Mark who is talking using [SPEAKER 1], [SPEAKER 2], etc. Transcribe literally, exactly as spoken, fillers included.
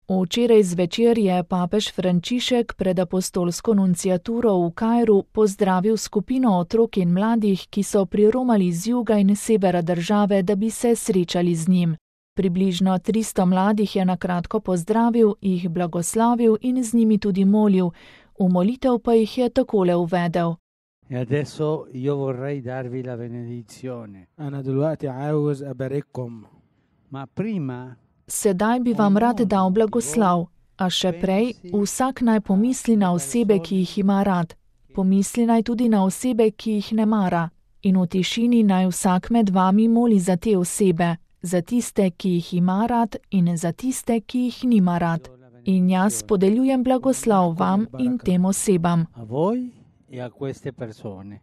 [SPEAKER 1] Včeraj zvečer je papež Frančišek pred apostolsko nunciaturo v Kairu pozdravil skupino otrok in mladih, ki so priromali z juga in severa države, da bi se srečali z njim. Približno tristo mladih je na kratko pozdravil, jih blagoslavil in z njimi tudi molil, v molitev pa jih je takole uvedel.
[SPEAKER 2] E adesso io vorrei darvi la benedizione.
[SPEAKER 3] أنا دلوقتي عاوز أبارككم.
[SPEAKER 2] Ma prima
[SPEAKER 1] Sedaj bi vam rad dal blagoslav, a še prej vsak naj pomisli na osebe, ki jih ima rad. Pomisli naj tudi na osebe, ki jih ne mara. In v tišini naj vsak med vami moli za te osebe, za tiste, ki jih ima rad in za tiste, ki jih nima rad. In jaz podeljujem blagoslav vam in tem osebam.
[SPEAKER 2] a voi e a queste persone.